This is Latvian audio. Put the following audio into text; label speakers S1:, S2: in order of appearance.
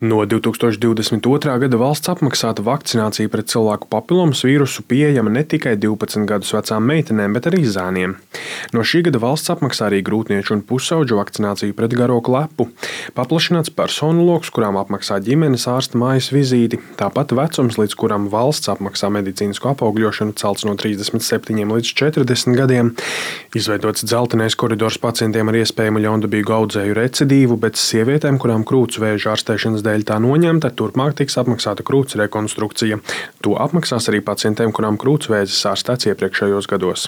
S1: No 2022. gada valsts apmaksāta vakcinācija pret cilvēku papilomas vīrusu pieejama ne tikai 12 gadus vecām meitenēm, bet arī zēniem. No šī gada valsts apmaksā arī grūtnieču un pusauģu vakcināciju pret garo klepu. Paplašināts personu loks, kurām apmaksā ģimenes ārsta mājas vizīti, tāpat vecums, līdz kuram valsts apmaksā medicīnisko apaugļošanu, celts no 37 līdz 40 gadiem. Izveidots dzeltenais koridors pacientiem ar iespējamu ļaundabīgu audzēju recidīvu, bet sievietēm, kurām krūts vēža ārstēšanas dēļ tā noņemta, turpmāk tiks apmaksāta krūts rekonstrukcija. To apmaksās arī pacientiem, kurām krūts vēzis ārstēts iepriekšējos gados.